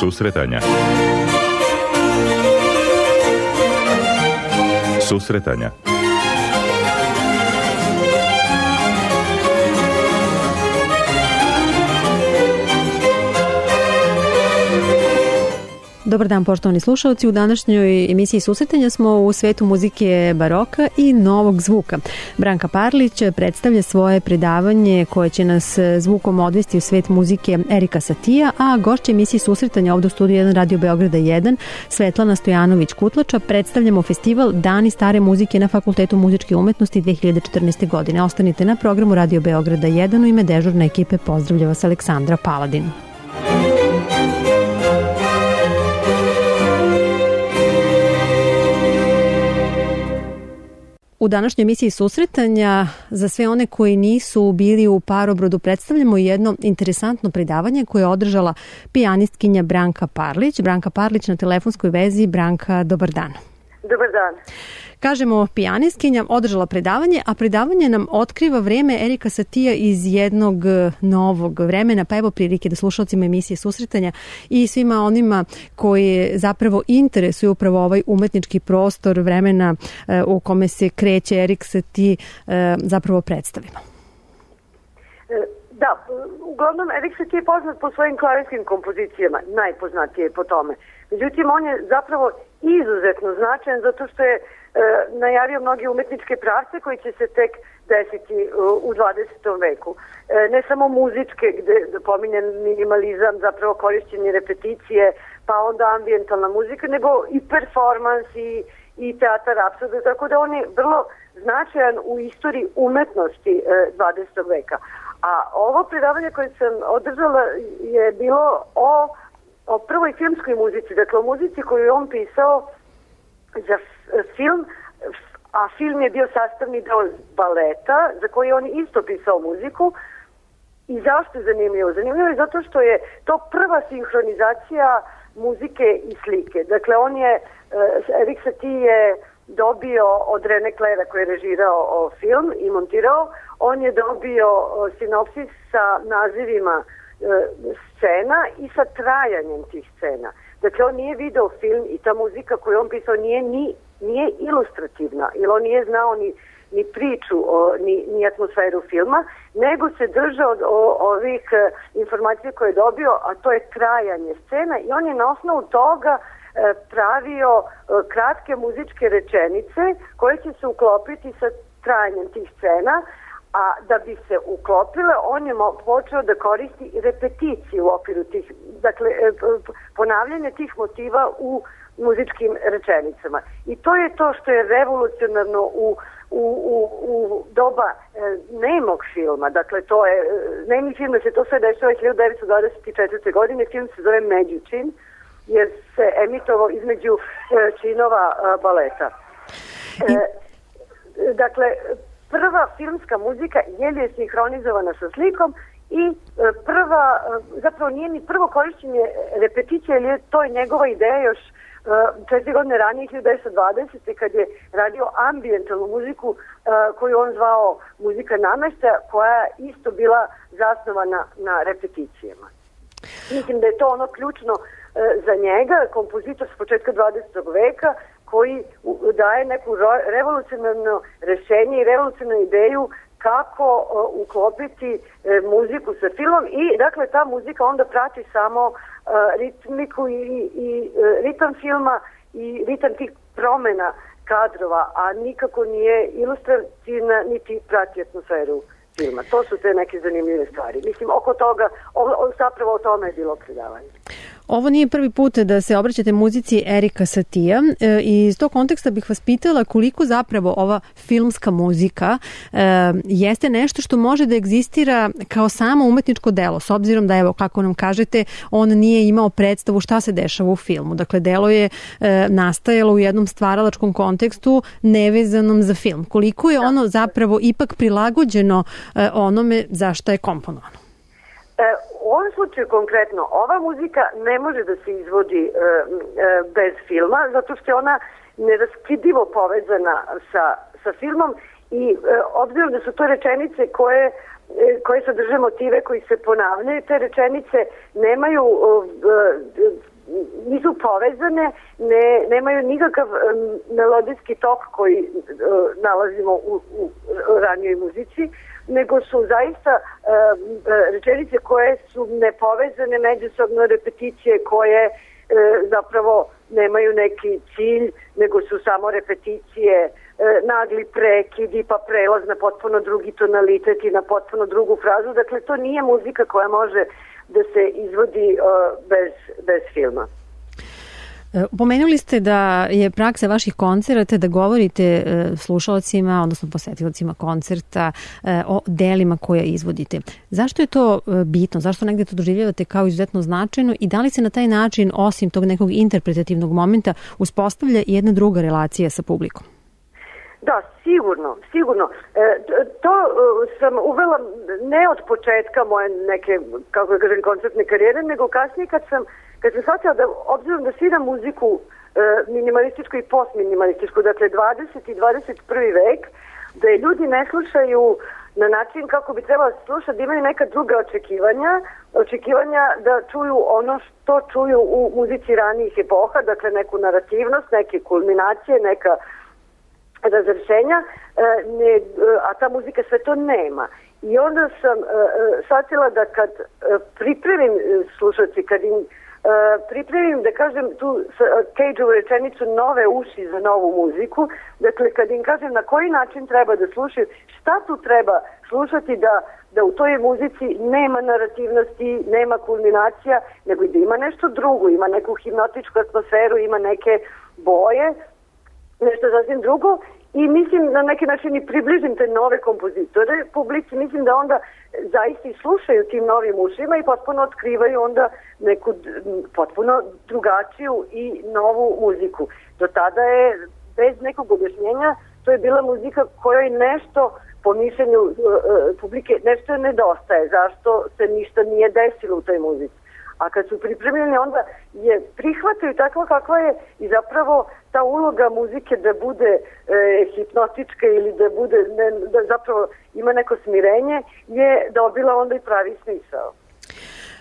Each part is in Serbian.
Susretanja. Susretanja. Dobar dan, poštovani slušalci. U današnjoj emisiji Susretanja smo u svetu muzike baroka i novog zvuka. Branka Parlić predstavlja svoje predavanje koje će nas zvukom odvesti u svet muzike Erika Satija, a gošća emisiji Susretanja ovdje u studiju 1 Radio Beograda 1, Svetlana Stojanović-Kutlača, predstavljamo festival Dani stare muzike na Fakultetu muzičke umetnosti 2014. godine. Ostanite na programu Radio Beograda 1. U ime dežurne ekipe pozdravlja vas Aleksandra Paladin. U današnjoj emisiji Susretanja za sve one koji nisu bili u Parobrodu predstavljamo jedno interesantno predavanje koje je održala pijanistkinja Branka Parlić. Branka Parlić na telefonskoj vezi. Branka, dobar dan. Dobar dan. Kažemo pijanistkinja održala predavanje, a predavanje nam otkriva vreme Erika Satija iz jednog novog vremena, pa evo prilike da slušalcima emisije Susretanja i svima onima koji zapravo interesuju upravo ovaj umetnički prostor vremena u kome se kreće Erik Satie zapravo predstavimo. Da, uglavnom Erik Satie je poznat po svojim klavirskim kompozicijama, najpoznatije po tome. Međutim, on je zapravo izuzetno značajan zato što je najavio mnoge umetničke pravce koji će se tek desiti u 20. veku. Ne samo muzičke, gde pominjen minimalizam, zapravo korišćenje repeticije, pa onda ambijentalna muzika, nego i performans i teatar apsurda, tako da on je vrlo značajan u istoriji umetnosti 20. veka. A ovo predavanje koje sam održala je bilo o prvoj filmskoj muzici, dakle o muzici koju je on pisao za film, a film je bio sastavni deo baleta za koji je on isto pisao muziku. I zašto je zanimljivo? Zanimljivo je zato što je to prva sinhronizacija muzike i slike. Dakle, Erik Satie je dobio od René Claira koji je režirao film i montirao, on je dobio sinopsis sa nazivima scena i sa trajanjem tih scena. Dakle, on nije video film i ta muzika koju on pisao nije ilustrativna, jer on nije znao ni priču, ni atmosferu filma, nego se držao od ovih informacija koje je dobio, a to je trajanje scena i on je na osnovu toga pravio kratke muzičke rečenice koje će se uklopiti sa trajanjem tih scena, a da bi se uklopile, on je počeo da koristi repeticije u okviru tih, dakle, ponavljanje tih motiva u muzičkim rečenicama. I to je to što je revolucionarno u doba nemog filma. Dakle, to je, nemi film se to sve dešava 1924. godine, film se zove Međučin, jer se emitovao između činova baleta. Dakle, prva filmska muzika je sinhronizovana sa slikom i zapravo nije ni prvo korišćenje repeticije, jer je to njegova ideja još 4 godine ranije, 1920. kad je radio ambijentalnu muziku koju on zvao muzika nameštaja, koja je isto bila zasnovana na repeticijama. Mislim da je to ono ključno za njega, kompozitor s početka 20. veka, koji daje neku revolucionarno rešenje i revolucionarnu ideju kako uklopiti muziku sa filmom i dakle ta muzika onda prati samo ritmiku i ritam filma i ritam tih promena kadrova, a nikako nije ilustrativna niti prati atmosferu filma. To su te neke zanimljive stvari. Mislim, oko toga, zapravo o tome je bilo predavanje. Ovo nije prvi put da se obraćate muzici Erika Satija i iz tog konteksta bih vas pitala koliko zapravo ova filmska muzika jeste nešto što može da egzistira kao samo umetničko delo, s obzirom da, evo, kako nam kažete, on nije imao predstavu šta se dešava u filmu. Dakle, delo je nastajalo u jednom stvaralačkom kontekstu nevezanom za film. Koliko je ono zapravo ipak prilagođeno onome za šta je komponovano? U ovom slučaju konkretno, ova muzika ne može da se izvodi bez filma, zato što je ona neraskidivo povezana sa filmom i obzirom da su to rečenice koje sadrže motive koji se ponavljaju, te rečenice nemaju nisu povezane, nemaju nikakav melodijski tok koji nalazimo u ranijoj muzici, nego su zaista rečenice koje su nepovezane, međusobno repeticije koje zapravo nemaju neki cilj, nego su samo repeticije, nagli prekidi pa prelaz na potpuno drugi tonalitet i na potpuno drugu frazu. Dakle, to nije muzika koja može da se izvodi bez filma. Pomenuli ste da je praksa vaših koncerata da govorite slušalcima, odnosno posetiocima koncerta o delima koje izvodite. Zašto je to bitno? Zašto negde to doživljavate kao izuzetno značajno i da li se na taj način, osim tog nekog interpretativnog momenta, uspostavlja jedna druga relacija sa publikom? Da, sigurno. To sam uvela ne od početka moje neke, kako da kažem, koncertne karijere, nego kasnije kad sam shvatila da, obzirom da sviram muziku minimalističku i postminimalističku, dakle 20. i 21. vek, da je ljudi ne slušaju na način kako bi trebalo slušati, da imaju neka druga očekivanja da čuju ono što čuju u muzici ranijih epoha, dakle neku narativnost, neke kulminacije, neka razrešenja, a ta muzika sve to nema. I onda sam shvatila da kad pripremim slušalci, kad im pripremim, da kažem, tu Cage-ovu rečenicu nove uši za novu muziku, dakle kad im kažem na koji način treba da slušaju, šta tu treba slušati da u toj muzici nema narativnosti, nema kulminacija, nego i da ima nešto drugo, ima neku hipnotičku atmosferu, ima neke boje, nešto sasvim drugo, i mislim na neki način i približim te nove kompozitore publici, mislim da onda zaista i slušaju tim novim ušima i potpuno otkrivaju onda neku potpuno drugačiju i novu muziku. Do tada je, bez nekog objašnjenja, to je bila muzika kojoj nešto, po mišljenju publike, nešto nedostaje, zašto se ništa nije desilo u toj muzici. A kad su pripremljeni, onda je prihvataju takva kakva je i zapravo ta uloga muzike da bude hipnotička ili da bude, da zapravo ima neko smirenje, je dobila onda i pravi smisao.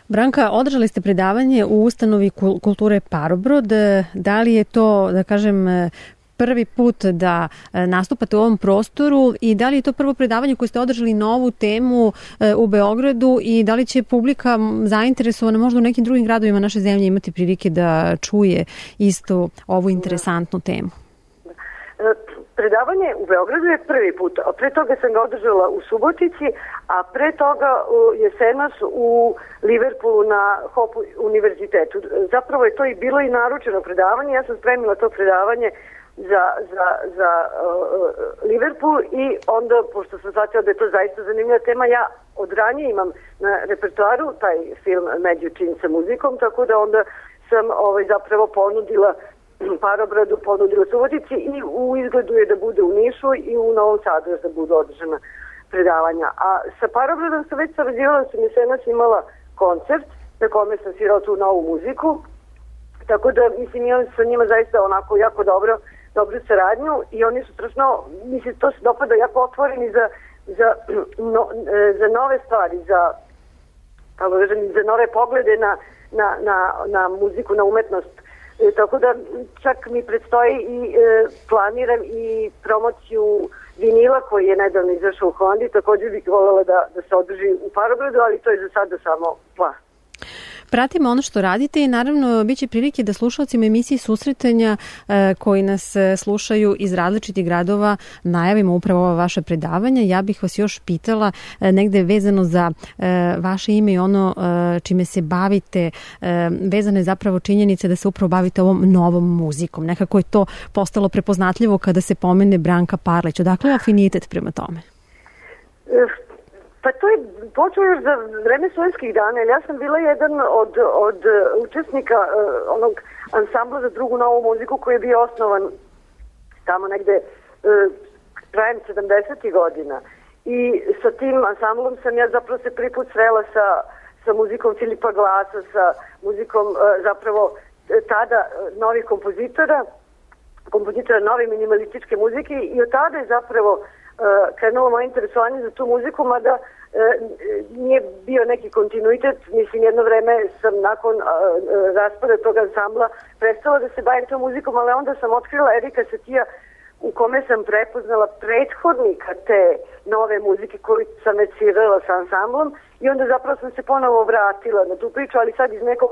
Branka, održali ste predavanje u ustanovi kulture Parobrod. Da li je to, da kažem, prvi put da nastupate u ovom prostoru i da li je to prvo predavanje koje ste održali na ovu temu u Beogradu i da li će publika zainteresovana možda u nekim drugim gradovima naše zemlje imati prilike da čuje isto ovu interesantnu temu? Predavanje u Beogradu je prvi put, a pre toga sam ga održala u Subotici, a pre toga jesenas u Liverpoolu na Hope univerzitetu. Zapravo je to i bilo i naručeno predavanje, ja sam spremila to predavanje za Liverpool i onda, pošto sam shvatila da je to zaista zanimljiva tema, ja od ranije imam na repertoaru taj film Među čin sa muzikom, tako da onda sam zapravo ponudila Parobradu, ponudila Subotici i u izgledu je da bude u Nišu i u Novom Sadu da budu održana predavanja. A sa Parobradom sam već sarađivala, sam jesenas imala koncert na kome sam svirala tu novu muziku, tako da mislim imam sa njima zaista onako jako dobru saradnju i oni su strašno, mislim to se dopada, jako otvoreni za nove stvari, za nove poglede na muziku, na umetnost. Tako da čak mi predstoji i planiram i promociju vinila koji je nedavno izašao u Hollandi, također bih voljela da se održi u Parobradu, ali to je za sada samo plan. Pratimo ono što radite i naravno bit će prilike da slušalcima emisiji Susretanja koji nas slušaju iz različitih gradova najavimo upravo ova vaša predavanja. Ja bih vas još pitala negde vezano za vaše ime i ono čime se bavite, vezane zapravo činjenice da se upravo bavite ovom novom muzikom. Nekako je to postalo prepoznatljivo kada se pomene Branka Parlić. Odakle je afinitet prema tome? Pa to je počeo još za vreme Sovjetskih dana, jer ja sam bila jedan od učesnika onog ansambla za drugu novu muziku koji je bio osnovan tamo negde krajem 70. godina. I sa tim ansamblom sam ja zapravo se prvi put srela sa muzikom Filipa Glasa, sa muzikom zapravo tada novih kompozitora nove minimalističke muzike i od tada je zapravo krenulo moje interesovanje za tu muziku, mada nije bio neki kontinuitet. Mislim, jedno vreme sam nakon raspada tog ansambla prestala da se bavim tom muzikom, ali onda sam otkrila Erika Satija u kome sam prepoznala prethodnika te nove muzike koju sam već svirala sa ansamblom i onda zapravo sam se ponovo vratila na tu priču, ali sad iz nekog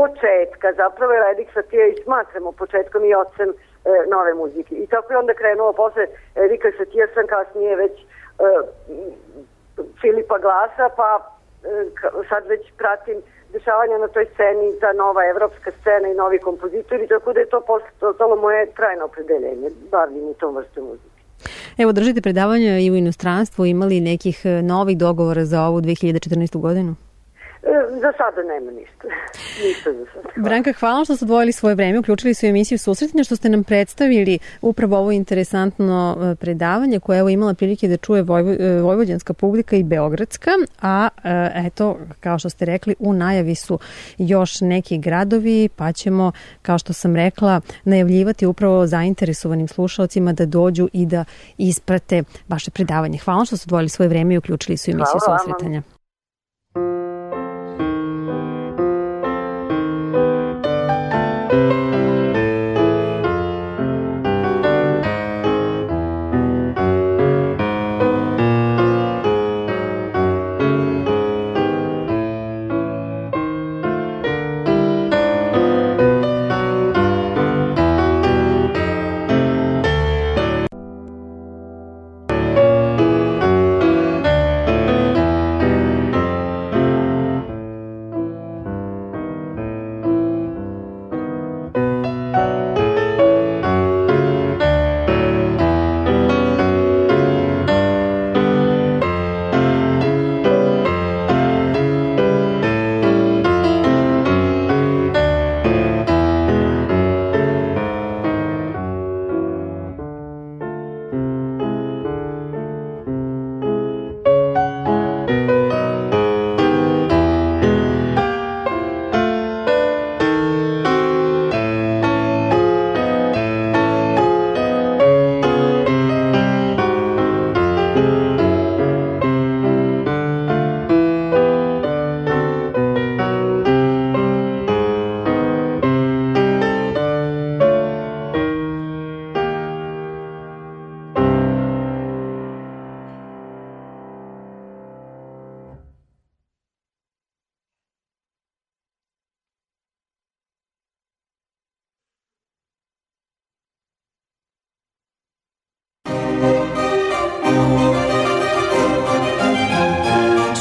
početka, zapravo je Erik Satija i smatramo početkom i ocem nove muzike. I tako je onda krenulo posle Erika Satija, sam kasnije već Filipa Glasa, pa sad već pratim dešavanja na toj sceni, ta nova evropska scena i novi kompozitori, tako da je to postalo moje trajno opredeljenje, bavim u tom vrstu muzike. Evo, držite predavanja i u inostranstvu, imali nekih novih dogovora za ovu 2014. godinu? Za sada nema ništa. Ništa za sada. Branka, hvala što ste odvojili svoje vreme, uključili su emisiju Susretanja, što ste nam predstavili upravo ovo interesantno predavanje koje je imala prilike da čuje vojvođanska publika i beogradska, a eto, kao što ste rekli, u najavi su još neki gradovi, pa ćemo, kao što sam rekla, najavljivati upravo zainteresovanim slušalcima da dođu i da isprate vaše predavanje. Hvala što ste odvojili svoje vreme i uključili su emisiju Susretanja.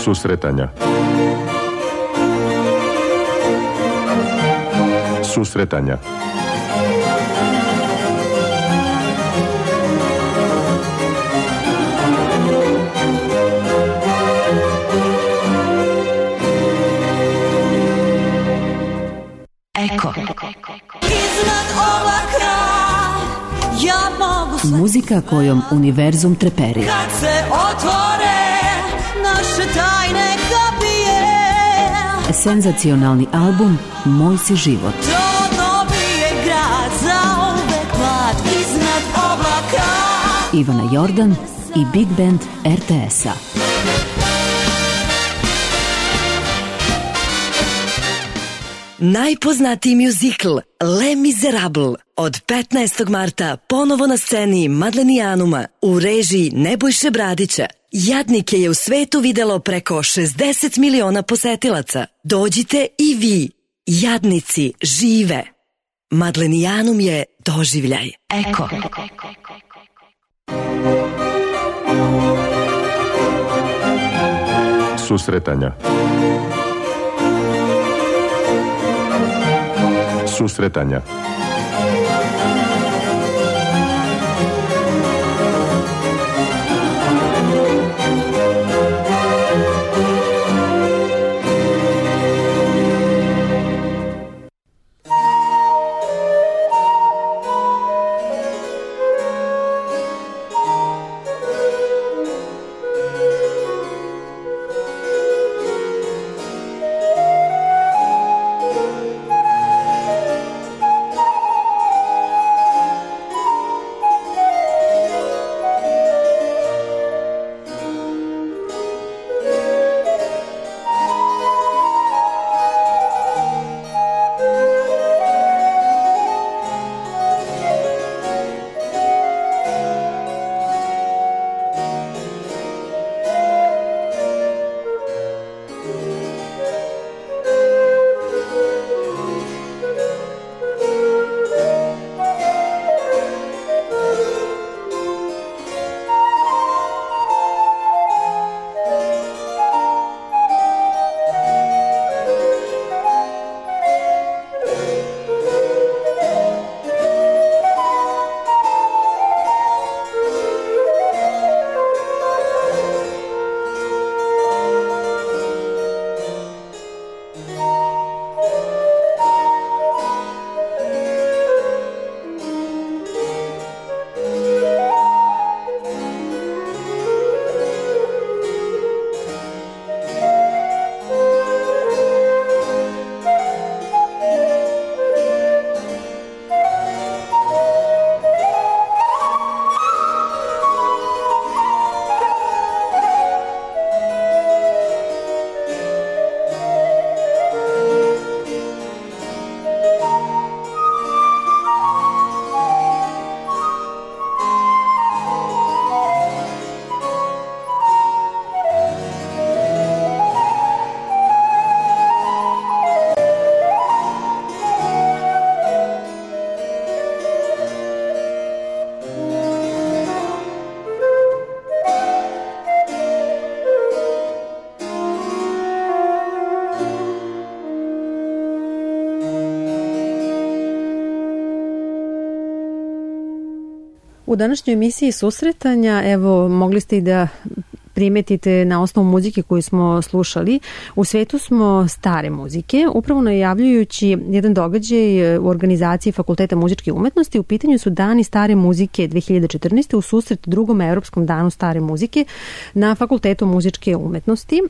Susretanja. Susretanja. Eko. Muzika kojom univerzum treperi. Kad se otvore naše tajne kapije. Senzacionalni album Moj si život. To je grad zauvek mlad iznad oblaka. Ivana Jordan i Big Band RTS-a. Najpoznatiji mjuzikl Les Miserables od 15. marta ponovo na sceni Madlenijanuma u režiji Nebojše Bradića. Jadnike je u svetu videlo preko 60 miliona posetilaca. Dođite i vi. Jadnici žive. Madlenijanum je doživljaj. Eko. Susretanja. Susretanja. U današnjoj emisiji susretanja, evo, mogli ste i da primetite na osnovu muzike koju smo slušali. U svetu smo stare muzike, upravo najavljujući jedan događaj u organizaciji Fakulteta muzičke umetnosti. U pitanju su Dani stare muzike 2014. u susret drugom Evropskom danu stare muzike na Fakultetu muzičke umetnosti.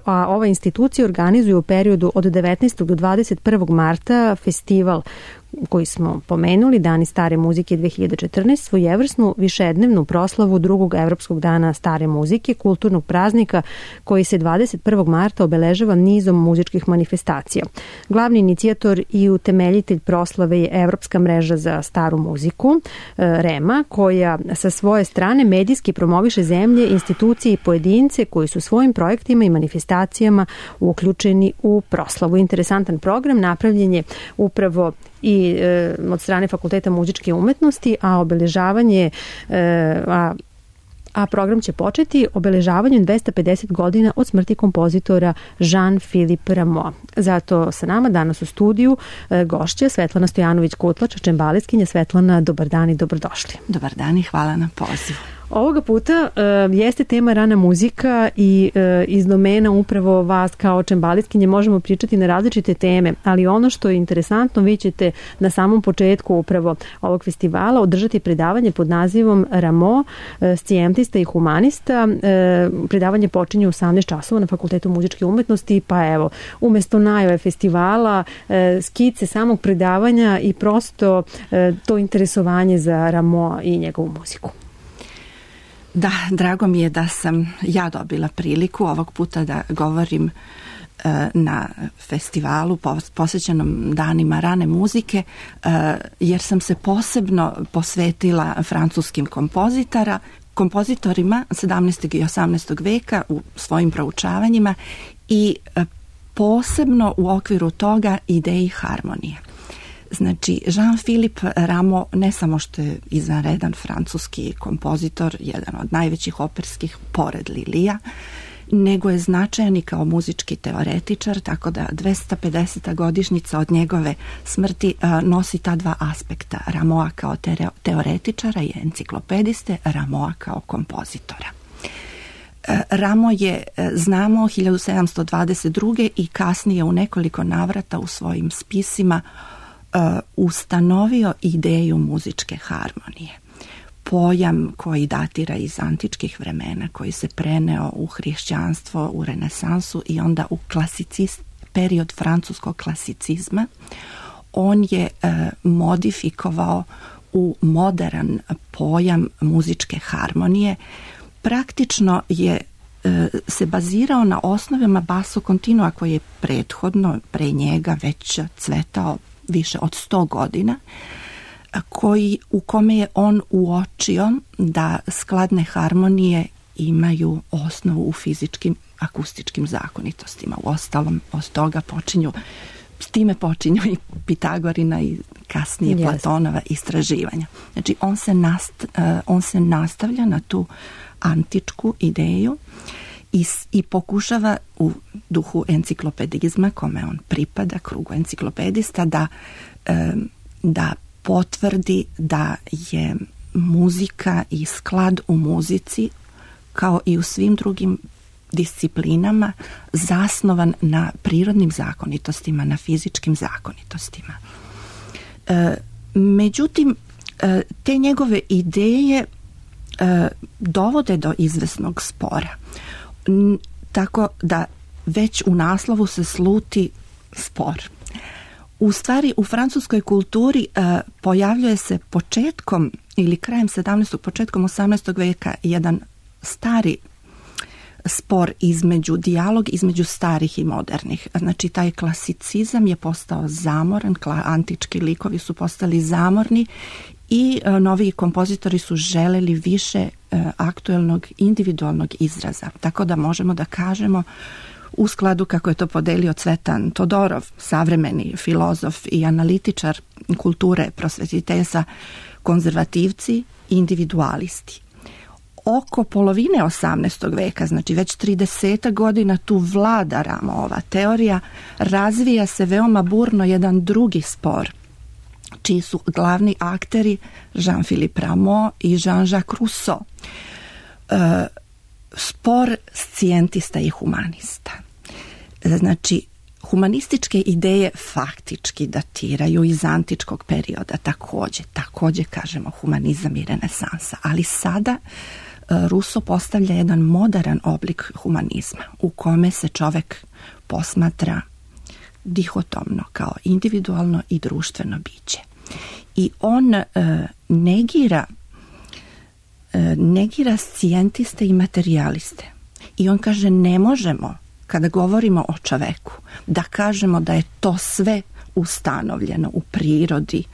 A ova institucija organizuje u periodu od 19. do 21. marta festival koji smo pomenuli, Dani stare muzike 2014, svojevrsnu višednevnu proslavu drugog Evropskog dana stare muzike, kulturnog praznika koji se 21. marta obeležava nizom muzičkih manifestacija. Glavni inicijator i utemeljitelj proslave je Evropska mreža za staru muziku, REMA, koja sa svoje strane medijski promoviše zemlje, institucije i pojedince koji su svojim projektima i manifestacijama uključeni u proslavu. Interesantan program napravljen je upravo i od strane Fakulteta muzičke umetnosti, a obeležavanje a program će početi obeležavanjem 250 godina od smrti kompozitora Jean-Philippe Rameau. Zato sa nama danas u studiju gošća Svetlana Stojanović-Kutlač, čembaliskinja. Svetlana, dobar dan i dobrodošli. Dobar dan i hvala na pozivu. Ovoga puta jeste tema rana muzika i iz domena upravo vas kao čembaliskinje možemo pričati na različite teme, ali ono što je interesantno, vi ćete na samom početku upravo ovog festivala održati predavanje pod nazivom Rameau, scijentista i humanista. Predavanje počinje u 18 časova na Fakultetu muzičke umetnosti, pa evo, umesto najave festivala, skice samog predavanja i prosto to interesovanje za Rameau i njegovu muziku. Da, drago mi je da sam ja dobila priliku ovog puta da govorim na festivalu posvećenom danima rane muzike, jer sam se posebno posvetila francuskim kompozitorima 17. i 18. veka u svojim proučavanjima i posebno u okviru toga ideji harmonije. Znači, Jean-Philippe Rameau ne samo što je izvanredan francuski kompozitor, jedan od najvećih operskih pored Lilija, nego je značajan i kao muzički teoretičar, tako da 250. godišnjica od njegove smrti nosi ta dva aspekta, Rameau kao teoretičara i enciklopediste, Rameau kao kompozitora. Rameau je, znamo, 1722. i kasnije u nekoliko navrata u svojim spisima ustanovio ideju muzičke harmonije. Pojam koji datira iz antičkih vremena, koji se preneo u hrišćanstvo, u renesansu i onda u period francuskog klasicizma. On je modifikovao u modern pojam muzičke harmonije. Praktično je se bazirao na osnovama basso continua koji je prethodno pre njega već cvetao više od 100 godina, u kome je on uočio da skladne harmonije imaju osnovu u fizičkim akustičkim zakonitostima. Uostalom, od toga s time počinju i Pitagorina i kasnije Platonova istraživanja. Znači, on se nastavlja na tu antičku ideju i pokušava u duhu enciklopedizma, kome on pripada, krugu enciklopedista, da potvrdi da je muzika i sklad u muzici, kao i u svim drugim disciplinama, zasnovan na prirodnim zakonitostima, na fizičkim zakonitostima. Međutim, te njegove ideje dovode do izvesnog spora. Tako da već u naslovu se sluti spor. U stvari, u francuskoj kulturi pojavljuje se početkom ili krajem 17. početkom 18. veka jedan stari spor dijalog između starih i modernih. Znači, taj klasicizam je postao zamoran, antički likovi su postali zamorni i novi kompozitori su želeli više aktuelnog individualnog izraza. Tako da možemo da kažemo, u skladu kako je to podelio Cvetan Todorov, savremeni filozof i analitičar kulture prosvetiteljstva, konzervativci i individualisti. Oko polovine 18. veka, znači već 30 godina, tu vlada Rameauova teorija, razvija se veoma burno jedan drugi spor. čiji su glavni akteri Jean-Philippe Rameau i Jean-Jacques Rousseau. Spor scijentista i humanista. Znači, humanističke ideje faktički datiraju iz antičkog perioda, također kažemo humanizam i renesansa, ali sada Rousseau postavlja jedan moderan oblik humanizma u kome se čovek posmatra dihotomno kao individualno i društveno biće. I on negira scijentiste i materijaliste. I on kaže, ne možemo, kada govorimo o čoveku, da kažemo da je to sve ustanovljeno u prirodi,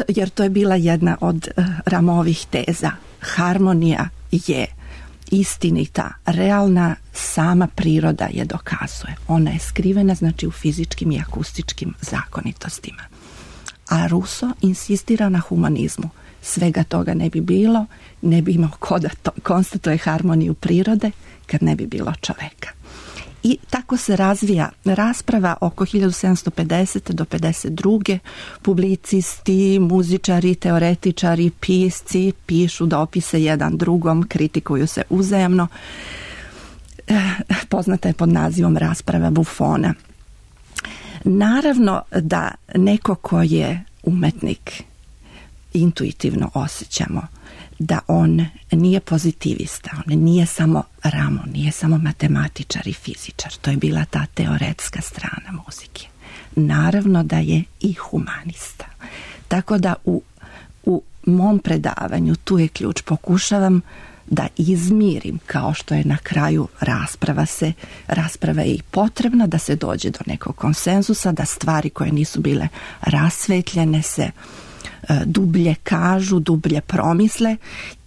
jer to je bila jedna od Rameauovih teza. Harmonija je istinita, realna, sama priroda je dokazuje. Ona je skrivena, znači, u fizičkim i akustičkim zakonitostima. A Rousseau insistira na humanizmu. Svega toga ne bi bilo, ne bi imao ko da konstatuje harmoniju prirode kad ne bi bilo čoveka. I tako se razvija rasprava oko 1750. do 52. Publicisti, muzičari, teoretičari, pisci pišu dopise jedan drugom, kritikuju se uzajamno. Poznata je pod nazivom rasprava Buffona. Naravno da neko ko je umetnik, intuitivno osjećamo da on nije pozitivista, on nije samo Rameau, nije samo matematičar i fizičar, to je bila ta teoretska strana muzike. Naravno da je i humanista. Tako da u mom predavanju, tu je ključ, pokušavam da izmirim, kao što je na kraju rasprava je i potrebna, da se dođe do nekog konsenzusa, da stvari koje nisu bile rasvetljene se dublje kažu, dublje promisle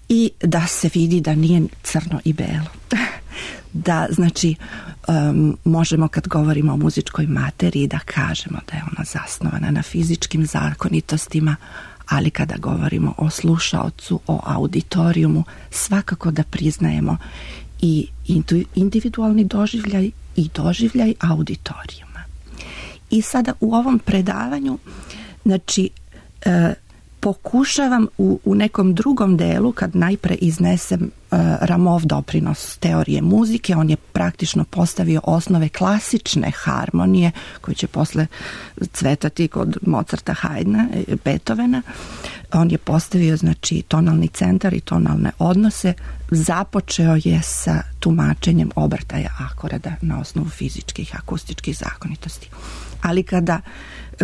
i da se vidi da nije crno i belo. Da, znači, možemo kad govorimo o muzičkoj materiji da kažemo da je ona zasnovana na fizičkim zakonitostima, ali kada govorimo o slušaocu, o auditorijumu, svakako da priznajemo i individualni doživljaj i doživljaj auditorijuma. I sada u ovom predavanju, znači, pokušavam u nekom drugom delu, kad najpre iznesem Rameauov doprinos teorije muzike, on je praktično postavio osnove klasične harmonije koje će posle cvetati kod Mozarta, Haydna, Beethovena. On je postavio, znači, tonalni centar i tonalne odnose. Započeo je sa tumačenjem obrtaja akorda na osnovu fizičkih, akustičkih zakonitosti. Ali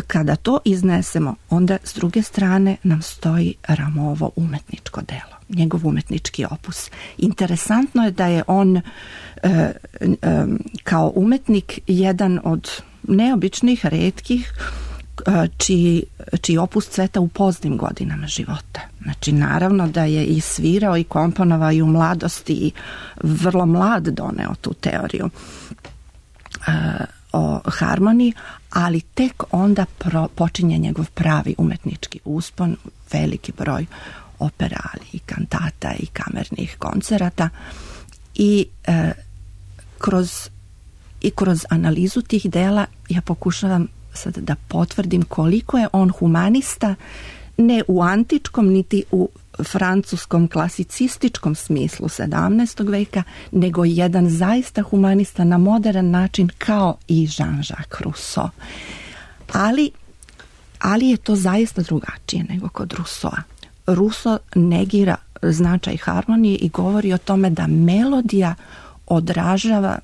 kada to iznesemo, onda s druge strane nam stoji Rameauovo umetničko delo, njegov umetnički opus. Interesantno je da je on kao umetnik jedan od neobičnih, retkih, čiji opus cveta u poznim godinama života. Znači, naravno da je i svirao i komponovao i u mladosti i vrlo mlad doneo tu teoriju o harmoniji, ali tek onda počinje njegov pravi umetnički uspon, veliki broj opera, i kantata i kamernih koncerata i kroz analizu tih dela ja pokušavam sad da potvrdim koliko je on humanista, ne u antičkom niti u francuskom klasicističkom smislu 17. veka, nego jedan zaista humanista na modern način kao i Jean-Jacques Rousseau. Ali je to zaista drugačije nego kod Rousseaua. Rousseau negira značaj harmonije i govori o tome da melodija odražava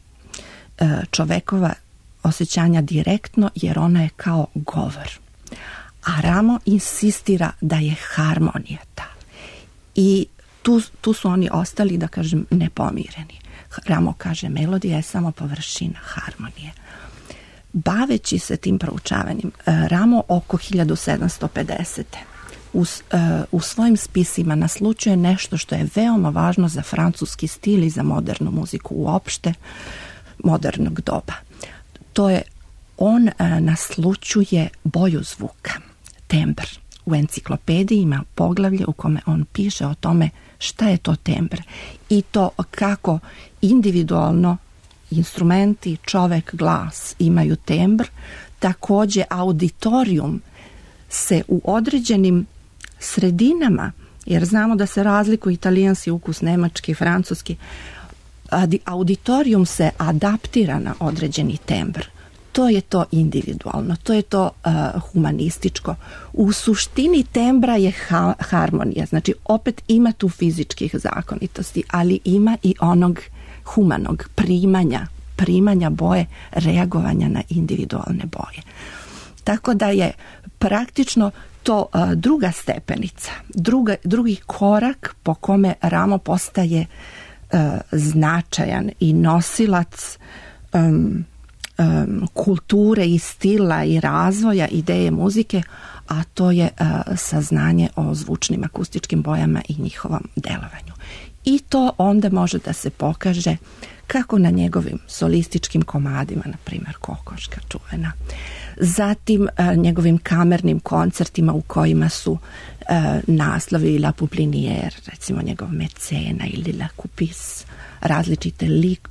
čovekova osjećanja direktno, jer ona je kao govor. A Rameau insistira da je harmonija ta. I tu su oni ostali, da kažem, nepomireni. Rameau kaže, melodija je samo površina harmonije. Baveći se tim proučavanjem, Rameau oko 1750. U svojim spisima naslučuje nešto što je veoma važno za francuski stil i za modernu muziku uopšte modernog doba. To je, on naslučuje boju zvuka, tembr. U enciklopediji ima poglavlje u kome on piše o tome šta je to tembr i to kako individualno instrumenti, čovek, glas imaju tembr, također auditorijum se u određenim sredinama, jer znamo da se razlikuju italijanski ukus, nemački, francuski, auditorijum se adaptira na određeni tembr. To je to individualno, to je to humanističko. U suštini tembra je harmonija, znači opet ima tu fizičkih zakonitosti, ali ima i onog humanog primanja boje, reagovanja na individualne boje. Tako da je praktično to druga stepenica, drugi korak po kome Ramo postaje značajan i nosilac kulture i stila i razvoja ideje muzike, a to je saznanje o zvučnim akustičkim bojama i njihovom delovanju. I to onda može da se pokaže kako na njegovim solističkim komadima, na primjer Kokoška čuvena, zatim njegovim kamernim koncertima u kojima su naslovi La Pouplinière, recimo njegov Mecena ili La Coupisse, različite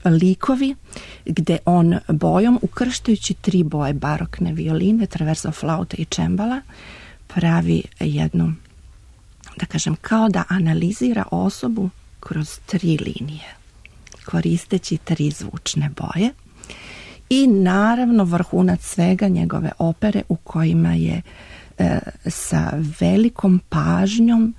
likovi gde on bojom, ukrštajući 3 boje barokne violine, traverso flaute i čembala, pravi jednu, da kažem, kao da analizira osobu kroz 3 linije, koristeći 3 zvučne boje. I naravno vrhunac svega njegove opere u kojima je sa velikom pažnjom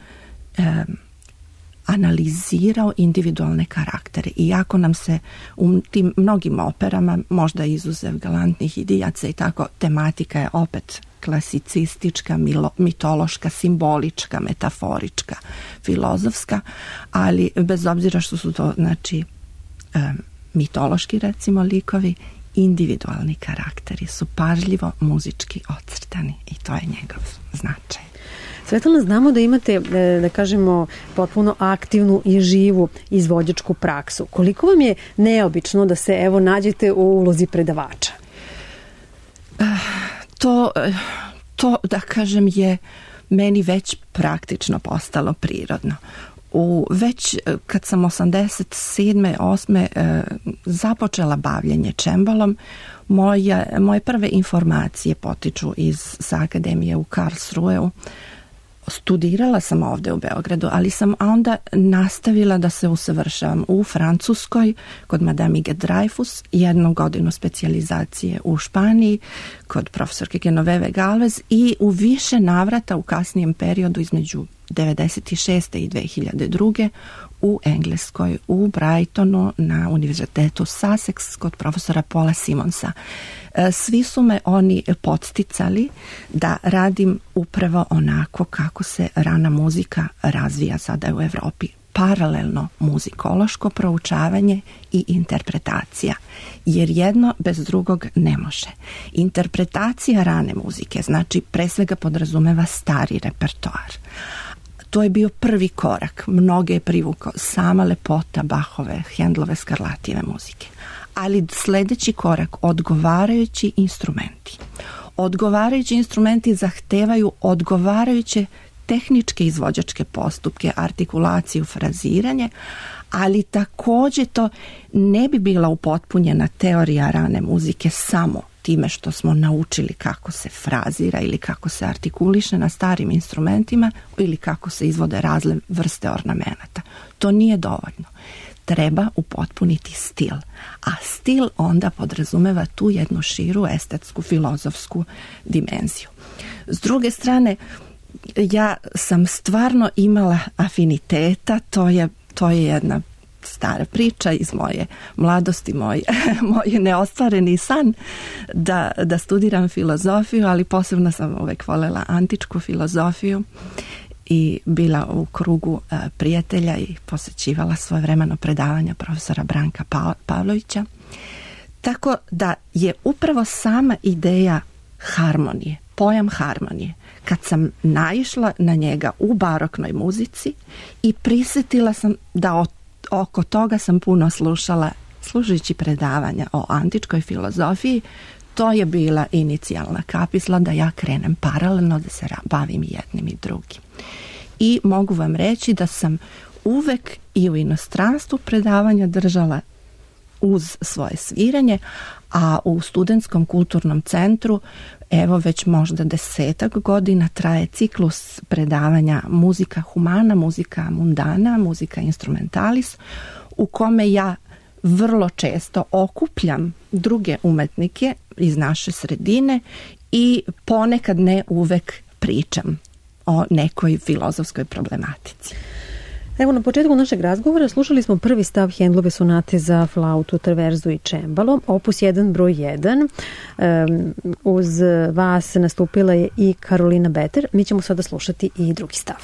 analizirao individualne karaktere. Iako nam se u tim mnogim operama, možda izuzev Galantnih idijaca i tako, tematika je opet klasicistička, mitološka, simbolička, metaforička, filozofska, ali bez obzira što su to, znači, mitološki, recimo, likovi, individualni karakteri su pažljivo muzički ocrtani i to je njegov značaj. Svetlana, znamo da imate, da kažemo, potpuno aktivnu i živu izvođačku praksu. Koliko vam je neobično da se, evo, nađete u ulozi predavača? To, da kažem, je meni već praktično postalo prirodno. Već kad sam 87. 8. započela bavljenje čembalom, moje prve informacije potiču sa akademije u Karlsruheu. Studirala sam ovdje u Beogradu, ali sam onda nastavila da se usavršavam u Francuskoj kod Madame Ige Dreyfus, 1 godinu specijalizacije u Španiji kod profesorke Genoveve Galvez i u više navrata u kasnijem periodu između 96. i 2002. u Engleskoj, u Brightonu, na univerzitetu Sussex kod profesora Paula Simonsa. Svi su me oni podsticali da radim upravo onako kako se rana muzika razvija sada u Evropi. Paralelno muzikološko proučavanje i interpretacija, jer jedno bez drugog ne može. Interpretacija rane muzike, znači, pre svega podrazumeva stari repertoar. To je bio prvi korak, mnoge je privukao sama lepota Bachove, Hendlove, Scarlattijeve muzike. Ali sljedeći korak, odgovarajući instrumenti. Odgovarajući instrumenti zahtevaju odgovarajuće tehničke izvođačke postupke, artikulaciju, fraziranje, ali također to ne bi bila upotpunjena teorija rane muzike samo time što smo naučili kako se frazira ili kako se artikuliše na starim instrumentima ili kako se izvode razne vrste ornamenata. To nije dovoljno. Treba upotpuniti stil, a stil onda podrazumeva tu jednu širu estetsku, filozofsku dimenziju. S druge strane, ja sam stvarno imala afiniteta, to je jedna stara priča iz moje mladosti, moj neostvareni san da studiram filozofiju, ali posebno sam uvek voljela antičku filozofiju i bila u krugu prijatelja i posjećivala svojevremeno predavanja profesora Branka Pavlovića. Tako da je upravo sama ideja harmonije, pojam harmonije, kad sam naišla na njega u baroknoj muzici i prisjetila sam da oko toga sam puno slušala slušajući predavanja o antičkoj filozofiji, to je bila inicijalna kapisla da ja krenem paralelno da se bavim jednim i drugim. I mogu vam reći da sam uvek i u inostranstvu predavanja držala uz svoje sviranje, a u Studentskom kulturnom centru evo već možda 10 godina traje ciklus predavanja muzika humana, muzika mundana, muzika instrumentalis, u kome ja vrlo često okupljam druge umetnike iz naše sredine i ponekad ne uvek pričam o nekoj filozofskoj problematici. Evo, na početku našeg razgovora slušali smo prvi stav Händlove sonate za flautu, traverzu i čembalo, opus 1 broj 1. Uz vas nastupila je i Karolina Beter. Mi ćemo sada slušati i drugi stav.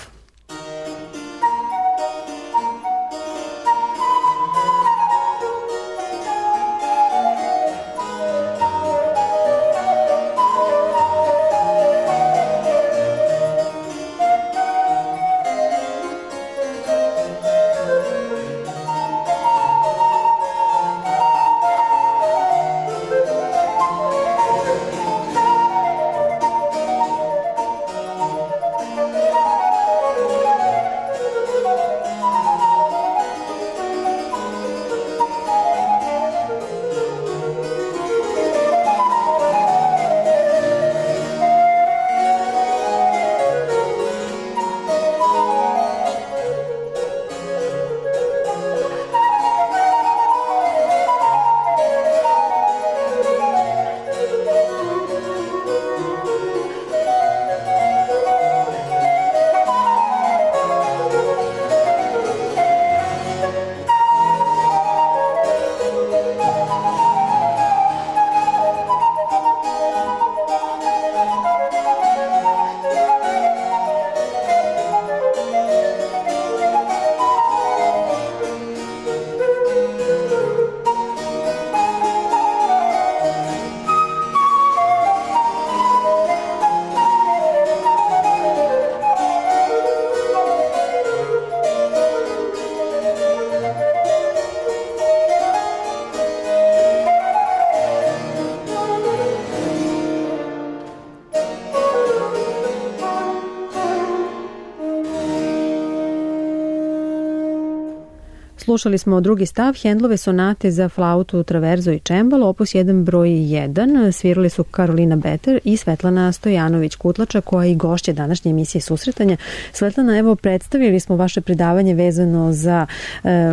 Slušali smo drugi stav Händlove sonate za flautu, traverzo i čembalo, opus 1 broj 1. Svirali su Karolina Beter i Svetlana Stojanović-Kutlača, koja je i gošća današnje emisije Susretanja. Svetlana, evo, predstavili smo vaše predavanje vezano za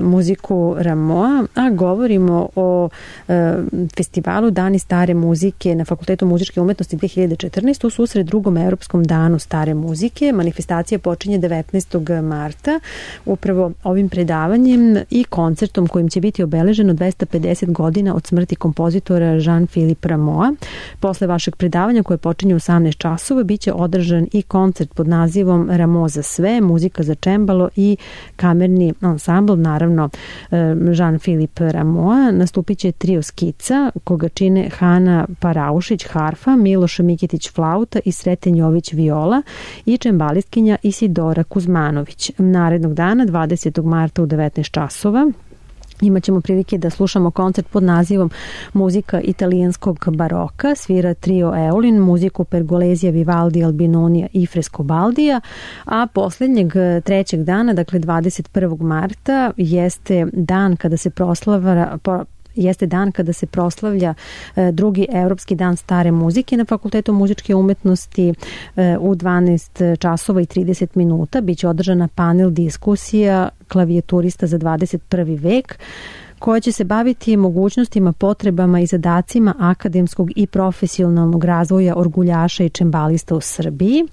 muziku Rameau, a govorimo o festivalu Dani stare muzike na Fakultetu muzičke umetnosti 2014. u susret drugom Evropskom danu stare muzike. Manifestacija počinje 19. marta upravo ovim predavanjem i koncertom kojim će biti obeleženo 250 godina od smrti kompozitora Jean-Philippe Rameau. Posle vašeg predavanja, koje počinje u 18 časova, bit će održan i koncert pod nazivom Rameau za sve, muzika za čembalo i kamerni ansambl, naravno Jean-Philippe Rameau. Nastupit će trio skica, koga čine Hana Paraušić harfa, Miloš Mikitić flauta i Sreten Jović viola i čembalistkinja Isidora Kuzmanović. Narednog dana, 20. marta u 19 časova, imaćemo prilike da slušamo koncert pod nazivom Muzika italijanskog baroka. Svira trio Eolin, muziku Pergolezija, Vivaldi, Albinonija i Frescobaldija, a posljednjeg trećeg dana, dakle 21. marta, jeste dan kada se proslavlja drugi Evropski dan stare muzike na Fakultetu muzičke umetnosti u 12 časova i 30 minuta. Biće održana panel diskusija klavijaturista za 21. vek, koja će se baviti mogućnostima, potrebama i zadacima akademskog i profesionalnog razvoja orguljaša i čembalista u Srbiji.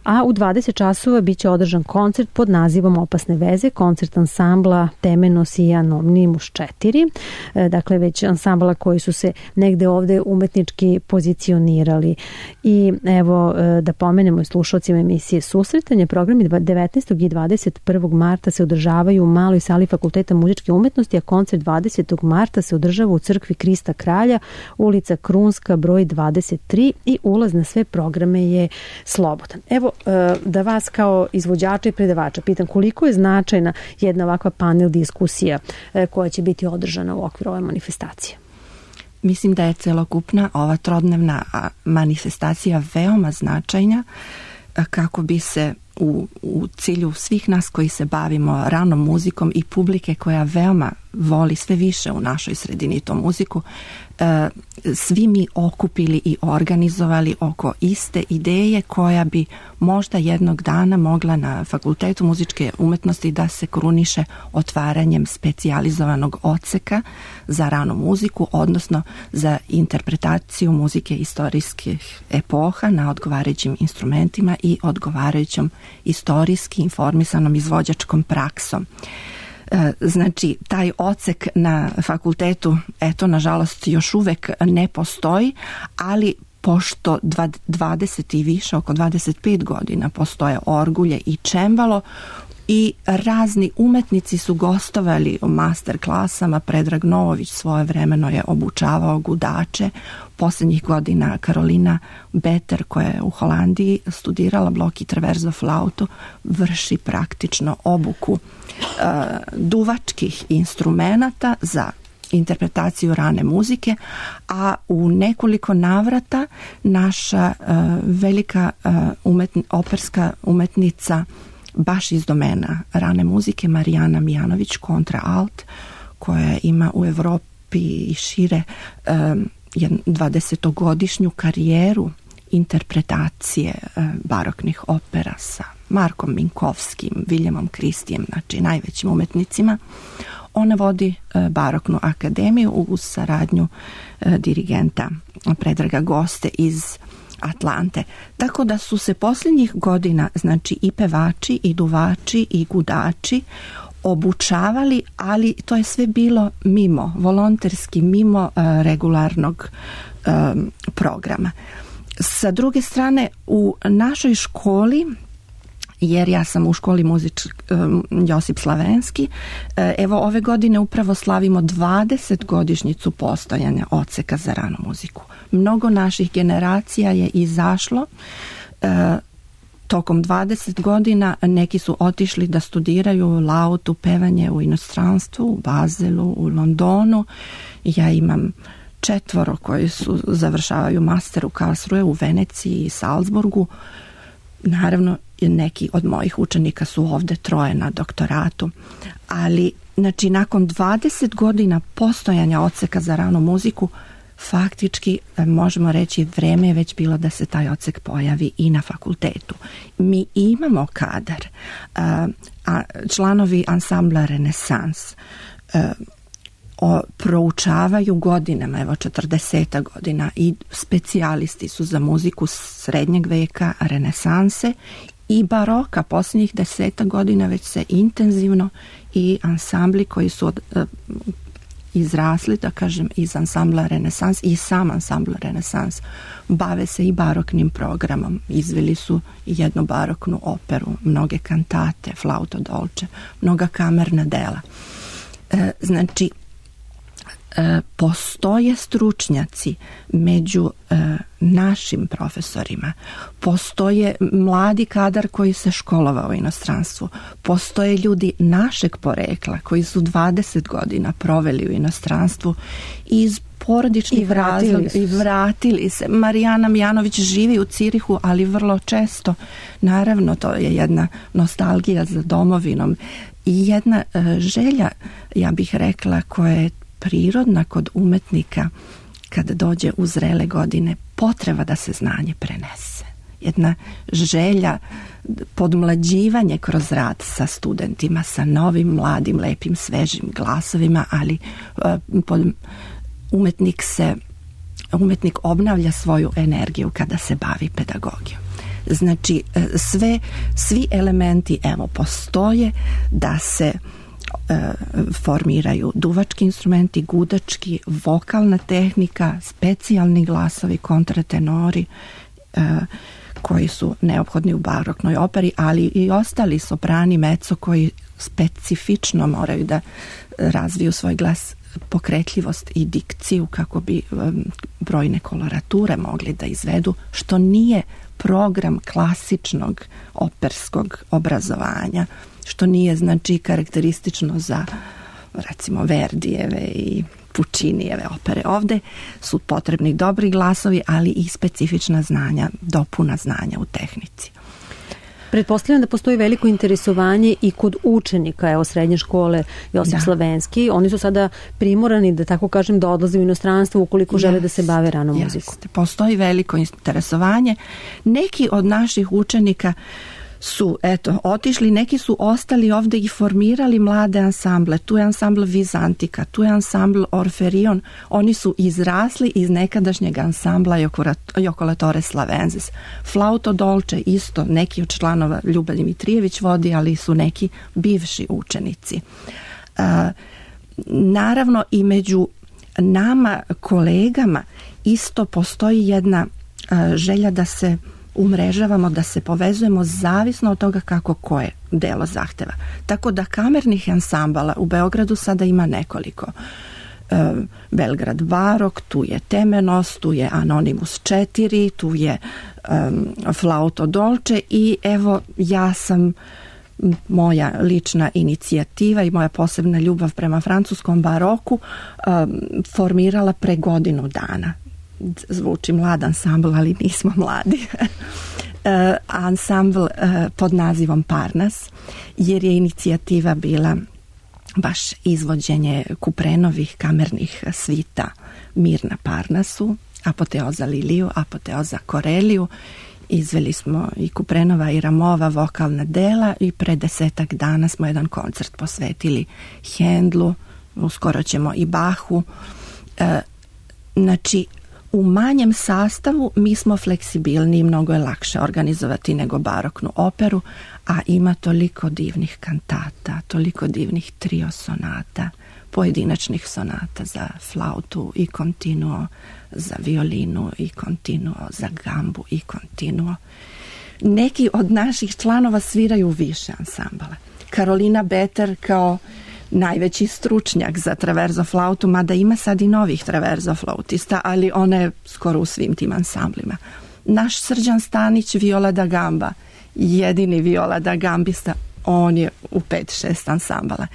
A u 20 časova biće održan koncert pod nazivom Opasne veze, koncert ansambla Temenos i Anonymous 4, dakle već ansambla koji su se negde ovde umetnički pozicionirali. I evo da pomenemo i slušalcima emisije Susretanje, programi 19. i 21. marta se održavaju u maloj sali Fakulteta muzičke umetnosti, a koncert 20. marta se održava u crkvi Krista Kralja, ulica Krunska, broj 23, i ulaz na sve programe je slobodan. Evo, da vas kao izvođača i predavača pitam, koliko je značajna jedna ovakva panel diskusija koja će biti održana u okviru ove manifestacije? Mislim da je celokupna ova trodnevna manifestacija veoma značajna kako bi se u cilju svih nas koji se bavimo ranom muzikom i publike koja veoma voli sve više u našoj sredini to muziku, svi mi okupili i organizovali oko iste ideje koja bi možda jednog dana mogla na Fakultetu muzičke umetnosti da se kruniše otvaranjem specijalizovanog odseka za ranu muziku, odnosno za interpretaciju muzike istorijskih epoha na odgovarajućim instrumentima i odgovarajućom istorijski informisanom izvođačkom praksom. Znači, taj odsek na fakultetu, eto, nažalost, još uvek ne postoji, ali pošto 20 i više, oko 25 godina postoje orgulje i čembalo i razni umetnici su gostovali u master klasama. Predrag Novović svojevremeno je obučavao gudače. Posljednjih godina Karolina Beter, koja je u Holandiji studirala blok i traverzo flautu, vrši praktično obuku duvačkih instrumenata za interpretaciju rane muzike, a u nekoliko navrata naša velika operska umetnica baš iz domena rane muzike, Marijana Mijanović, kontra alt, koja ima u Evropi i šire 20-godišnju karijeru interpretacije baroknih opera sa Markom Minkovskim, Viljamom Kristijem, znači najvećim umetnicima. Ona vodi baroknu akademiju uz saradnju dirigenta Predraga Goste iz Atlante. Tako da su se posljednjih godina, znači, i pevači i duvači i gudači obučavali, ali to je sve bilo mimo, volonterski, mimo regularnog programa. Sa druge strane, u našoj školi, jer ja sam u školi Josip Slavenski, evo ove godine upravo slavimo 20-godišnjicu postojanja odseka za ranu muziku. Mnogo naših generacija je izašlo tokom 20 godina, neki su otišli da studiraju lautu, pevanje u inostranstvu, u Bazelu, u Londonu. Ja imam 4 koji završavaju master u Karlsruhe, u Veneciji i Salzburgu. Naravno, neki od mojih učenika su ovde, 3 na doktoratu, ali znači nakon 20 godina postojanja odseka za ranu muziku, faktički možemo reći vreme je već bilo da se taj odsek pojavi i na fakultetu. Mi imamo kadar, članovi ansambla Renesans proučavaju godinama, evo 40 godina, i specijalisti su za muziku srednjeg veka, renesanse i baroka. Posljednjih 10 godina već se intenzivno i ansambli koji su izrasli, da kažem, iz ansambla Renesans i sam ansambl Renesans bave se i baroknim programom. Izveli su jednu baroknu operu, mnoge kantate, flauto dolce, mnoga kamerna dela. Znači, postoje stručnjaci među našim profesorima, postoje mladi kadar koji se školovao u inostranstvu, postoje ljudi našeg porekla koji su 20 godina proveli u inostranstvu iz porodičnih razloga i vratili se. Marijana Mijanović živi u Cirihu, ali vrlo često, naravno, to je jedna nostalgija za domovinom i jedna želja, ja bih rekla, koja je prirodna kod umetnika kada dođe u zrele godine, potreba da se znanje prenese. Jedna želja, podmlađivanje kroz rad sa studentima, sa novim, mladim, lepim, svežim glasovima, ali umetnik obnavlja svoju energiju kada se bavi pedagogijom. Znači, svi elementi, evo, postoje da se formiraju duvački instrumenti, gudački, vokalna tehnika, specijalni glasovi, kontratenori koji su neophodni u baroknoj operi, ali i ostali soprani, mezzo koji specifično moraju da razviju svoj glas, pokretljivost i dikciju kako bi brojne kolorature mogli da izvedu, što nije program klasičnog operskog obrazovanja, što nije, znači, karakteristično za, recimo, Verdijeve i Pučinijeve opere. Ovde su potrebni dobri glasovi, ali i specifična znanja, dopuna znanja u tehnici. Pretpostavljam da postoji veliko interesovanje i kod učenika, evo srednje škole Josip Slavenski. Oni su sada primorani, da tako kažem, da odlaze u inostranstvo ukoliko žele da se bave ranom muzikom. Postoji veliko interesovanje. Neki od naših učenika su, otišli, neki su ostali ovde i formirali mlade ansamble. Tu je ansambl Vizantika, tu je ansambl Orferion. Oni su izrasli iz nekadašnjeg ansambla Jocolatore Slavensis. Flauto Dolce isto, neki od članova Ljuba Dimitrijević vodi, ali su neki bivši učenici. Naravno i među nama kolegama isto postoji jedna želja da se umrežavamo, da se povezujemo zavisno od toga kako koje delo zahteva. Tako da kamernih ansambala u Beogradu sada ima nekoliko. Belgrad Barok, tu je Temenos, tu je Anonimus 4, tu je Flauto Dolce i evo ja sam, moja lična inicijativa i moja posebna ljubav prema francuskom baroku formirala pre godinu dana. Zvuči mlad ansambl, ali nismo mladi. Ansambl pod nazivom Parnas, jer je inicijativa bila baš izvođenje Kuprenovih kamernih svita Mir na Parnasu, Apoteoza Liliju, Apoteoza Koreliju. Izveli smo i Kuprenova i Ramova vokalna dela i pre 10 dana smo jedan koncert posvetili Hendlu, uskoro ćemo i Bahu. Znači, u manjem sastavu mi smo fleksibilni, mnogo je lakše organizovati nego baroknu operu, a ima toliko divnih kantata, toliko divnih trio sonata, pojedinačnih sonata za flautu i continuo, za violinu i continuo, za gambu i continuo. Neki od naših članova sviraju više ansambala. Karolina Beter kao najveći stručnjak za traverzo flautu, mada ima sad i novih traverzo flautista, ali ona je skoro u svim tim ansamblima. Naš Srđan Stanić, viola da gamba, jedini viola da gambista, on je u 5-6 ansambala.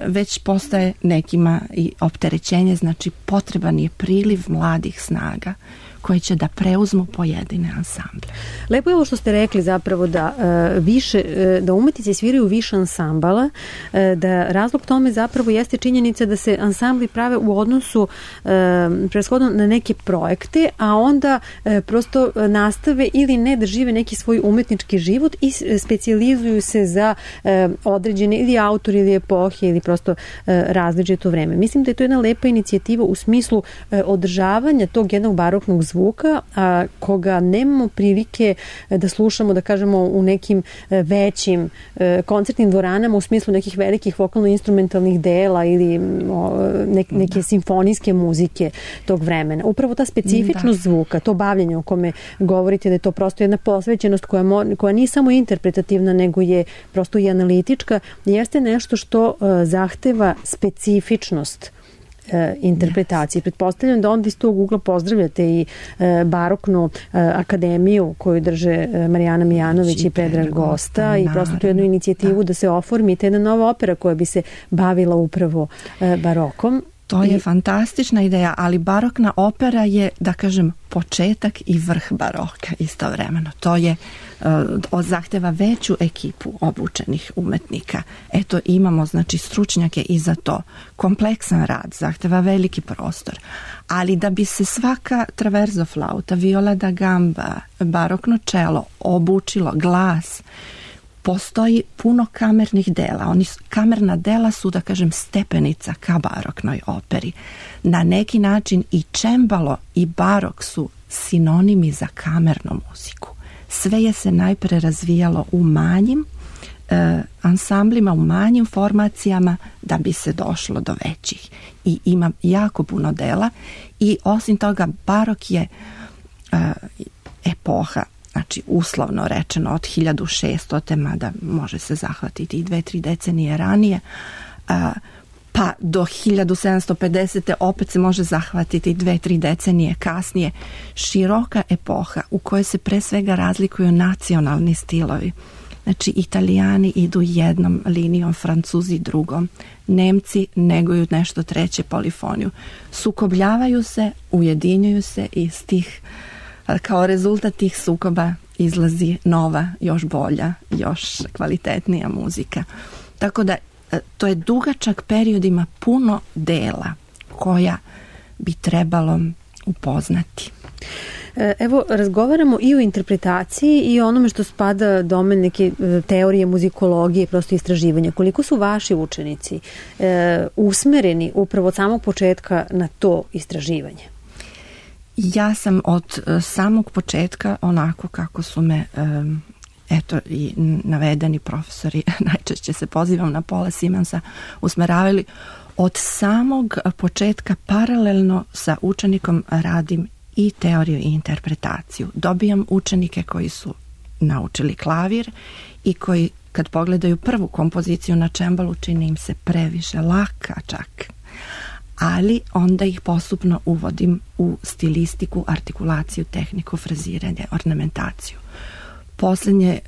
Već postaje nekima i opterećenje, znači potreban je priliv mladih snaga koji će da preuzmu pojedine ansamble. Lepo je ovo što ste rekli zapravo da da umetnici sviraju više ansambala, da razlog tome zapravo jeste činjenica da se ansambli prave u odnosu preshodno na neke projekte, a onda prosto nastave ili ne da žive neki svoj umetnički život i specijalizuju se za određene ili autor ili epohe ili prosto različito vreme. Mislim da je to jedna lepa inicijativa u smislu održavanja tog jednog baroknog zvuka, a koga nemamo prilike da slušamo, da kažemo, u nekim većim koncertnim dvoranama u smislu nekih velikih vokalno-instrumentalnih dela ili neke simfonijske muzike tog vremena. Upravo ta specifičnost zvuka, to bavljenje o kome govorite, da je to prosto jedna posvećenost koja nije samo interpretativna, nego je prosto i analitička, jeste nešto što zahteva specifičnost interpretacije. Pretpostavljam da onda iz tog ugla pozdravljate i baroknu akademiju koju drže Marijana Mijanović i Predrag Gosta i prosto tu jednu inicijativu da se oformi jedna nova opera koja bi se bavila upravo barokom. To je fantastična ideja, ali barokna opera je, da kažem, početak i vrh baroka istovremeno. To je zahteva veću ekipu obučenih umetnika. Eto, imamo znači stručnjake i za to. Kompleksan rad, zahteva veliki prostor. Ali da bi se svaka traverzo flauta, viola da gamba, barokno čelo obučilo glas, postoji puno kamernih dela. Kamerna dela su, da kažem, stepenica ka baroknoj operi. Na neki način i čembalo i barok su sinonimi za kamernu muziku. Sve je se najpre razvijalo u manjim ansamblima, u manjim formacijama da bi se došlo do većih. I ima jako puno dela i osim toga barok je epoha, znači uslovno rečeno od 1600, mada može se zahvatiti i 2-3 decenije ranije, pa do 1750. opet se može zahvatiti 2-3 decenije kasnije. Široka epoha u kojoj se pre svega razlikuju nacionalni stilovi. Znači, Italijani idu jednom linijom, Francuzi drugom, Nemci neguju nešto treće, polifoniju. Sukobljavaju se, ujedinjuju se i kao rezultat tih sukoba izlazi nova, još bolja, još kvalitetnija muzika. Tako da to je dugačak period, ima puno dela koja bi trebalo upoznati. Evo, razgovaramo i o interpretaciji i o onome što spada domen neke teorije, muzikologije, prosto istraživanja. Koliko su vaši učenici usmereni upravo od samog početka na to istraživanje? Ja sam od samog početka, onako kako su me i navedeni profesori, najčešće se pozivam na Paula Simonsa, usmeravali, od samog početka paralelno sa učenikom radim i teoriju i interpretaciju. Dobijam učenike koji su naučili klavir i koji kad pogledaju prvu kompoziciju na čembalu čini im se previše laka čak. Ali onda ih postupno uvodim u stilistiku, artikulaciju, tehniku, fraziranje, ornamentaciju. Posljednje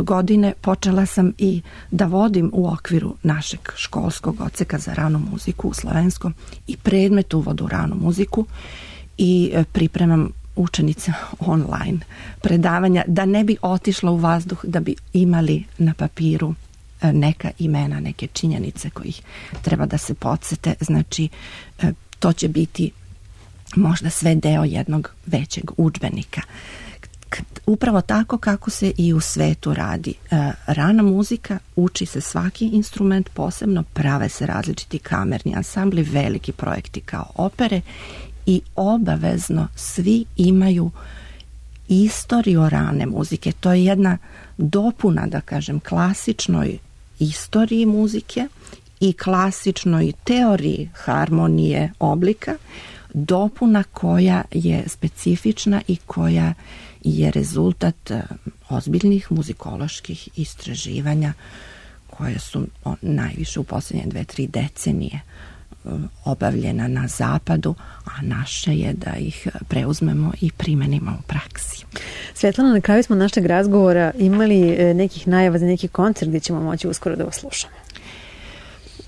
godine počela sam i da vodim u okviru našeg školskog odseka za ranu muziku u slovenskom i predmet uvod u ranu muziku i pripremam učenica online predavanja da ne bi otišla u vazduh, da bi imali na papiru neka imena, neke činjenice kojih treba da se podsete. Znači, to će biti možda sve deo jednog većeg udžbenika. Upravo tako kako se i u svetu radi. Rana muzika, uči se svaki instrument posebno, prave se različiti kamerni ansambli, veliki projekti kao opere i obavezno svi imaju istoriju rane muzike. To je jedna dopuna, da kažem, klasičnoj istoriji muzike i klasičnoj teoriji harmonije oblika, dopuna koja je specifična i koja je rezultat ozbiljnih muzikoloških istraživanja koje su najviše u posljednje 2-3 decenije obavljena na zapadu, a naše je da ih preuzmemo i primenimo u praksi. Svetlana, na kraju smo našeg razgovora imali nekih najava za neki koncert gdje ćemo moći uskoro da vas slušamo.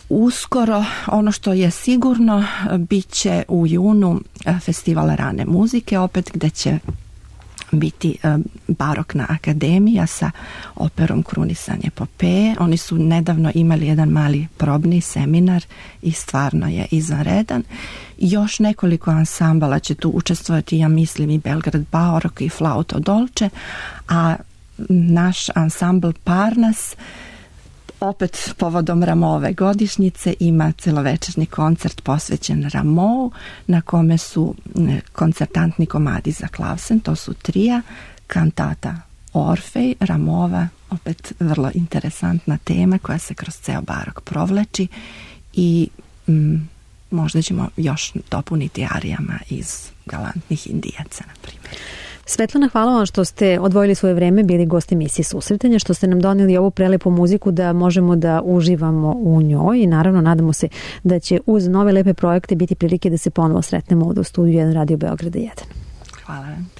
Uskoro, ono što je sigurno, bit će u junu festival rane muzike, opet gde će biti Barokna akademija sa operom Krunisanje Epopeje. Oni su nedavno imali jedan mali probni seminar i stvarno je izvanredan. Još nekoliko ansambala će tu učestvovati, ja mislim, i Belgrad Barok i Flauto Dolce, a naš ansambl Parnas opet povodom Ramove godišnjice ima celovečernji koncert posvećen Ramou, na kome su koncertantni komadi za klavsen, to su trija, kantata Orfej, Ramova, opet vrlo interesantna tema koja se kroz ceo barok provlači i možda ćemo još dopuniti arijama iz Galantnih Indijaca, na primjer. Svetlana, hvala vam što ste odvojili svoje vreme, bili gost emisije Susretanja, što ste nam donijeli ovu prelepu muziku da možemo da uživamo u njoj i naravno nadamo se da će uz nove lepe projekte biti prilike da se ponovo sretnemo ovdje u studiju 1 Radio Beograda 1. Hvala vam.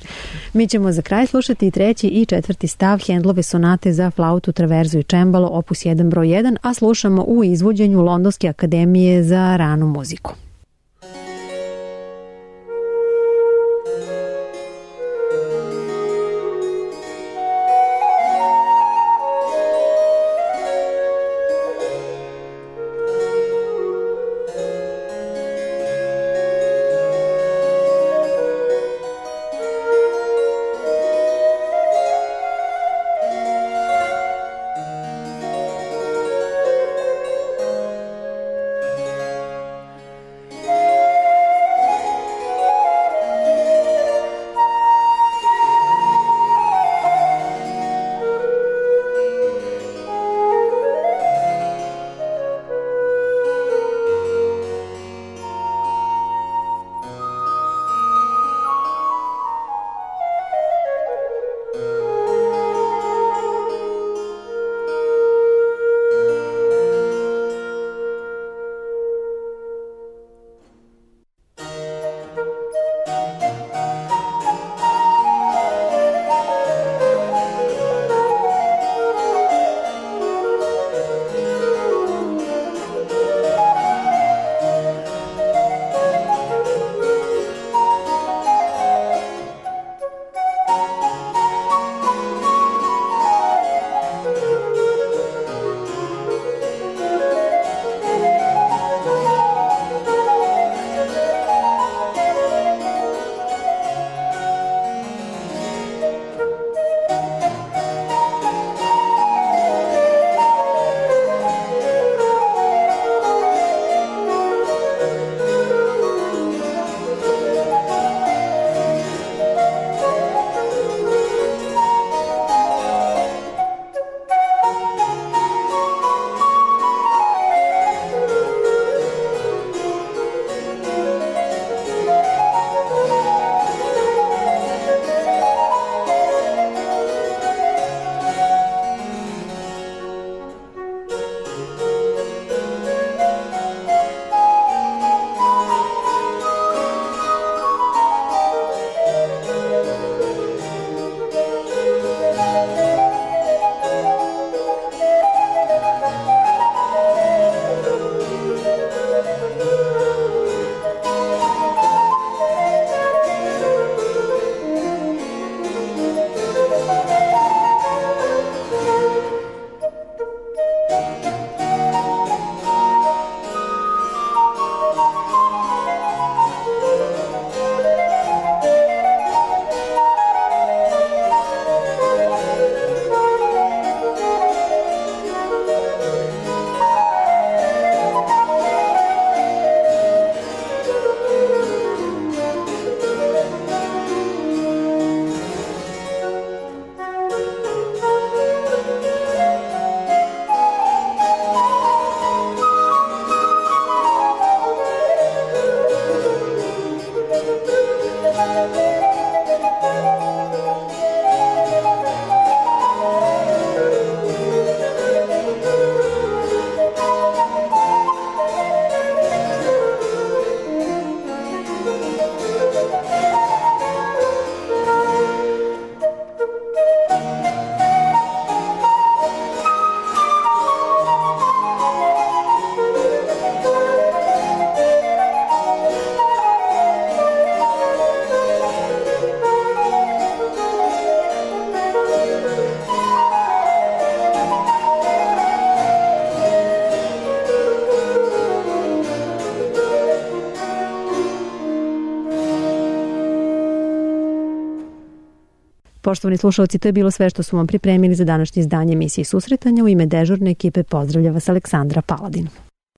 Mi ćemo za kraj slušati i 3. i 4. stav Handlove sonate za flautu, traverzu i čembalo, opus 1 broj 1, a slušamo u izvođenju Londonske akademije za ranu muziku. Poštovani slušalci, to je bilo sve što smo vam pripremili za današnje izdanje emisije Susretanja. U ime dežurne ekipe pozdravlja vas Aleksandra Paladin.